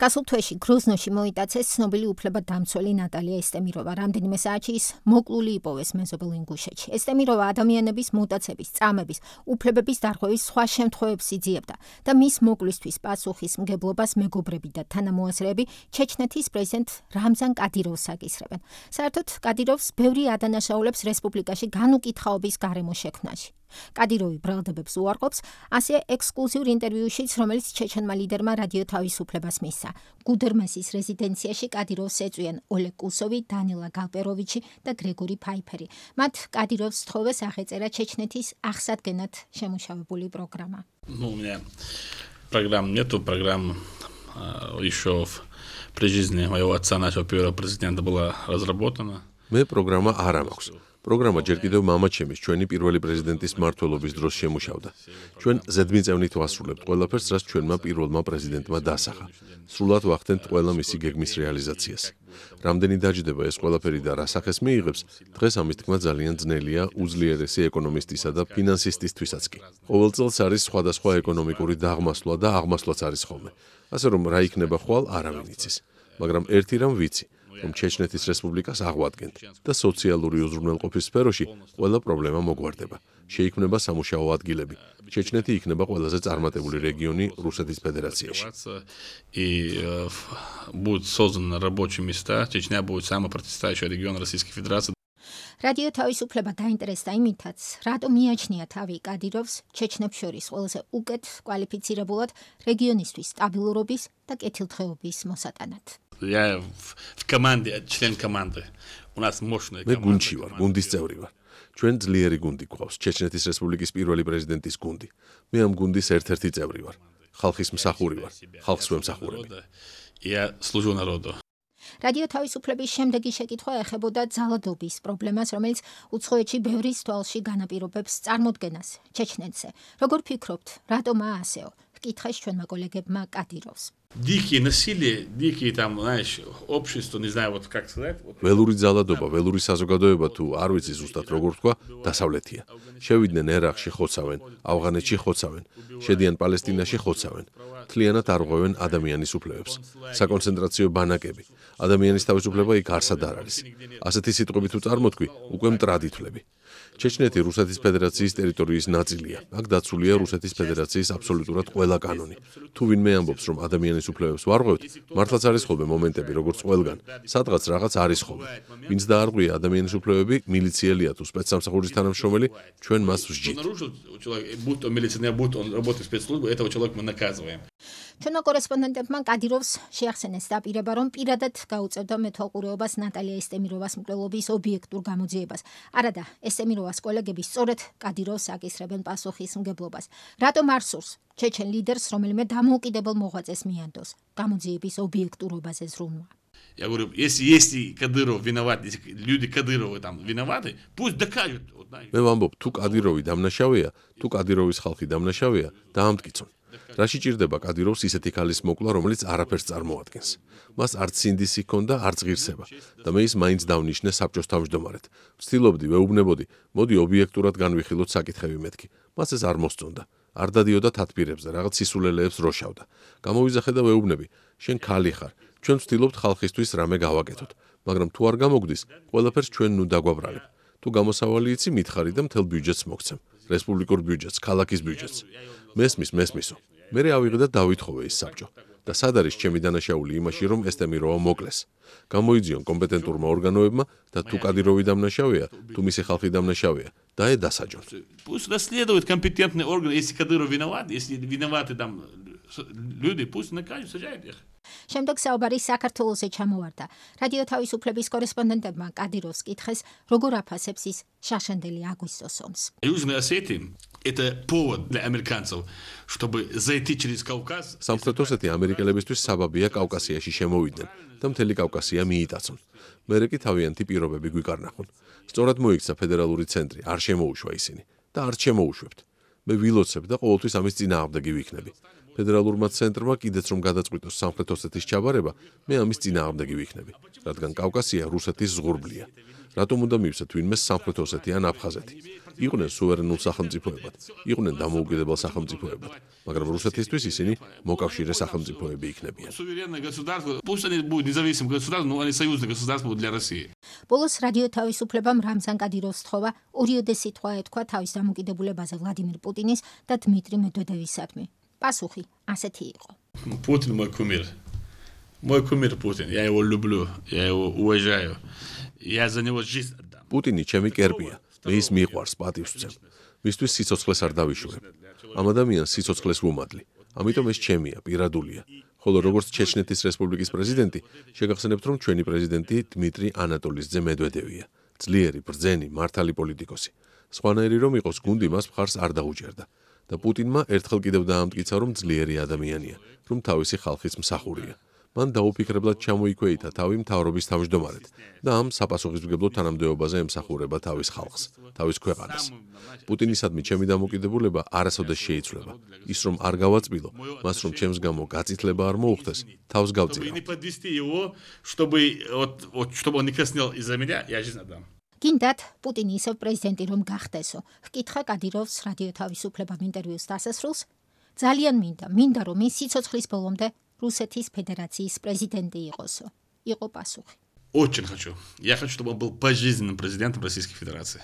გასულ თვეში გროზნოში მოიტაცეს ცნობილი უფლებადამცველი ნატალია ესტემიროვა. რამდენიმე საათში ის მოკლული იპოვეს მეზობელ ინგუშეთში. ესტემიროვა ადამიანების მუტაცების, წამების, უფლებების დარღვევის სხვა შემთხვევებს იძიებდა და მის მოკლისთვის პასუხისმგებლობას მეგობრები და თანამოაზრეები ჩეჩნეთის პრეზიდენტ რამზან კადიროვს აკისრებენ. საერთოდ კადიროვს ბევრი ადანაშაულებს რესპუბლიკაში განუკითხაობის გარემო შექმნაში. კადიროვი ბრალდებებს უარყოფს, ასე ექსკლუზიურ ინტერვიუშიც, რომელიც ჩეჩენმა ლიდერმა რადიო თავისუფლებას მისცა. გუდერმესის რეზიდენციაში კადიროვს ეწვიან ოლეგ კუსოვი, დანილა გალპეროვიჩი და გრეგორი ფაიფერი. მათ კადიროვს თხოვეს აღეწერა ჩეჩნეთის აღსადგენად შემუშავებული პროგრამა. У меня программ нету, программа еще при жизни моего отца, нашего первого президента, была разработана. მე პროგრამა არ მაქვს. პროგრამა ჯერ კიდევ მამაჩემის ჩვენი პირველი პრეზიდენტის მმართველობის დროს შემუშავდა. ჩვენ ზედმიწევნით ვასრულებთ ყველაფერს, რაც ჩვენმა პირველმა პრეზიდენტმა დასახა. სრულად ვახდენთ ყველა მისი გეგმის რეალიზაციას. რამდენი დაჯდება ეს ყველაფერი და რა სახეს მიიღებს, დღეს ამის თქმა ძალიან ძნელია უძლიერესი ეკონომისტისა და ფინანსისტისთვისაც კი. ყოველ წელს არის სხვადასხვა ეკონომიკური დაღმასვლა და აღმასვლაც არის ხოლმე. ასე რომ რა იქნება ხვალ არავინ იცის. მაგრამ ერთი რამ ვიცი, რომ ჩეჩნეთის რესპუბლიკას აღვადგენთ და სოციალური უზრუნველყოფის სფეროში ყველა პრობლემა მოგვარდება. შეიქმნება სამუშაო ადგილები. ჩეჩნეთი იქნება ყველაზე წარმატებული რეგიონი რუსეთის ფედერაციაში. И будут созданы рабочие места. Чечня будет самый процветающий регион Российской Федерации. რადიო თავისუფლება დაინტერესდა იმითაც, რატომ მიაჩნია თავი კადიროვს ჩეჩნებს შორის ყველაზე უკეთ კვალიფიცირებულად რეგიონისთვის სტაბილურობის და კეთილდღეობის მოსატანად. Я в команде, член команды. У нас мощная მე команда. გუნდში ვარ, გუნდის წევრი ვარ. ჩვენ ძლიერი გუნდი გვყავს, ჩეჩნეთის რესპუბლიკის პირველი პრეზიდენტის გუნდი. მე ამ გუნდის ერთ-ერთი წევრი ვარ. ხალხის მსახური ვარ, ხალხს ვემსახურები. Я служу народу. რადიო თავისუფლების შემდეგი შეკითხვა ეხებოდა ძალადობის პრობლემას, რომელიც უცხოეთში ბევრის თვალში განაპირობებს წარმოდგენას ჩეჩნეთზე. როგორ ფიქრობთ, რატომაა ასეო? ჰკითხეს ჩვენმა კოლეგებმა კადიროვს. Дикие насилие, дикие там, знаешь, общество, не знаю, вот как сказать. Вот. ველური ძალადობა, ველური საზოგადოება თუ არ ვიცი ზუსტად როგორ თქვა, დასავლეთია. შევიდნენ ერაყში ხოცავენ, ავღანეთში ხოცავენ, შედიან პალესტინაში ხოცავენ. მთლიანად არღვევენ ადამიანის უფლებებს. საკონცენტრაციო ბანაკები. ადამიანის თავისუფლება იქ არსად არ არის. ასეთი სიტყვები თუ წარმოთქვი, უკვე მტრად ითვლები. ჩეჩნეთი რუსეთის ფედერაციის ტერიტორიის ნაწილია. აქ დაცულია რუსეთის ფედერაციის აბსოლუტურად ყველა კანონი. თუ ვინმე ამბობს, რომ ადამიანის უფლებებს ვარღვევთ, მართლაც არის ხოლმე მომენტები, როგორც ყველგან. სადღაც რაღაც არის ხოლმე. ვინც დაარღვია ადამიანის უფლებები, მილიციელია თუ სპეცსამსახურის თანამშრომელი, ჩვენ მას ვსჯით. Обнаружил человек, будь он милиционер, будь он работает в спецслужбе, этого человека мы наказываем. ჩვენმა კორესპონდენტებმა კადიროვს შეახსენეს დაპირება, რომ პირადად გაუწევდა მეთვალყურეობას ნატალია ესტემიროვას მკვლელობის ობიექტურ გამოძიებას. არადა, ესტემიროვას კოლეგები სწორედ კადიროვს აკისრებენ პასუხისმგებლობას. რატომ არ სურს ჩეჩენ ლიდერს რომელიმე დამოუკიდებელ მოღვაწეს მიანდოს გამოძიების ობიექტურობაზე ზრუნვა? Я говорю, если Кадыров виноват, если люди Кадырова там виноваты, пусть докажут. Вот, знаешь. მე ვამბობ, თუ კადიროვი დამნაშავეა, თუ კადიროვის ხალხი დამნაშავეა, დაამტკიცონ. რაში ჭირდება კადიროვს ისეთი ქალის მოკლა, რომელიც არაფერს წარმოადგენს. მას არც სინდისი ჰქონდა, არც ღირსება და მე ის მაინც დავნიშნე საბჭოს თავმჯდომარედ. ვცდილობდი, ვეუბნებოდი, მოდი ობიექტურად განვიხილოთ საკითხები მეთქი. მას ეს არ მოსწონდა. არ დადიოდა თათბირებზე, რაღაც სისულელეებს როშავდა. გამოვიძახე და ვეუბნები, შენ ქალი ხარ. ჩვენ ვცდილობთ ხალხისთვის რამე გავაკეთოთ, მაგრამ თუ არ გამოგდის, ყველაფერს ჩვენ ნუ დაგვაბრალებ. თუ გამოსავალი იცი, მითხარი და მთელ ბიუჯეტს მოგცემ. რესპუბლიკურ ბიუჯეტს, ქალაქის ბიუჯეტს. მესმისო. მერე ავიღე და დავითხოვე ის საბჭო. და სად არის ჩემი დანაშაული იმაში, რომ ესტემიროვა მოკლეს? გამოიძიონ კომპეტენტურმა ორგანოებმა და თუ კადიროვი დამნაშავეა, თუ მისი ხალხი დამნაშავეა, დაედასაჯონ. Пусть расследуют компетентные органы, если Кадыров виноват, если виноваты там люди, пусть накажут, сажают их. შემდეგ საუბარი საქართველოსზე ჩამოვარდა. რადიო თავისუფლების კორესპონდენტებმა კადიროვს კითხეს, როგორ აფასებს ის შაშანდელი აგვისტოს ომს. Южная Осетия – это повод для американцев, чтобы зайти через Кавказ. სამხრეთ ოსეთი ამერიკელებისთვის საბაბია კავკასიაში შემოვიდნენ და მთელი კავკასია მიიტაცონ. მერე კი თავიანთი პირობები გვიკარნახონ. სწორად მოიქცა ფედერალური ცენტრი, არ შემოუშვა ისინი და არც შემოუშვებთ. მე ვილოცებ და ყოველთვის ამის წინააღმდეგი ვიქნები. ფედერალურმა ცენტრმა კიდეც რომ გადაწყვიტოს სამხრეთ ოსეთის ჩაბარება, მე ამის წინააღმდეგი ვიქნები, რადგან კავკასია რუსეთის ზღურბლია. რატომ უნდა მივცეთ ვინმე სამხრეთ ოსეთი ან აფხაზეთი? იყვნენ სუვერენულ სახელმწიფოებად, იყვნენ დამოუკიდებელ სახელმწიფოებად, მაგრამ რუსეთისთვის ისინი მოკავშირე სახელმწიფოები იქნებიან. ბოლოს რადიო თავისუფლებამ რამზან კადიროვს თხოვა ორიოდე სიტყვა ეთქვა თავის დამოკიდებულებაზე ვლადიმირ პუტინის და დმიტრი მედვედევისადმი. პასუხი ასეთი იყო. Путин мой кумир. Мой кумир Путин. Я его люблю, я его уважаю. Я за него жизнь отдам. პუტინი ჩემი კერპია, მე ის მიყვარს, პატივს ვცემ. მისთვის სიცოცხლეს არ დავიშურებ. ამ ადამიანს სიცოცხლეს ვუმადლი. ამიტომ ეს ჩემია, პირადულია. ხოლო როგორც ჩეჩნეთის რესპუბლიკის პრეზიდენტი, შეგახსენებთ, რომ ჩვენი პრეზიდენტი დმიტრი ანატოლის ძე მედვედევია. ძლიერი, ბრძენი, მართალი პოლიტიკოსი. სხვანაირი რომ იყოს, გუნდი მას მხარს არ დაუჭერდა. და პუტინმა ერთხელ კიდევ დაამტკიცა, რომ ძლიერი ადამიანია, რომ თავისი ხალხის მსახურია. მან დაუფიქრებლად ჩამოიქვეითა თავი მთავრობის თავმჯდომარედ და ამ საპასუხისმგებლო თანამდებობაზე ემსახურება თავის ხალხს, თავის ქვეყანას. პუტინისადმი ჩემი დამოკიდებულება არასოდეს შეიცვლება. ის რომ არ გავაწბილო, მას რომ ჩემს გამო გაწითლება არ მოუხდეს, თავს გავწირავ. გინდათ პუტინი ისევ პრეზიდენტი რომ გახდესო. ჰკითხა კადიროვს რადიო თავისუფლებამ ინტერვიუს დასასრულს. ძალიან მინდა რომ ის სიცოცხლის ბოლომდე რუსეთის ფედერაციის პრეზიდენტი იყოსო. იყო პასუხი. Очень хочу. Я хочу, чтобы он был пожизненным президентом Российской Федерации.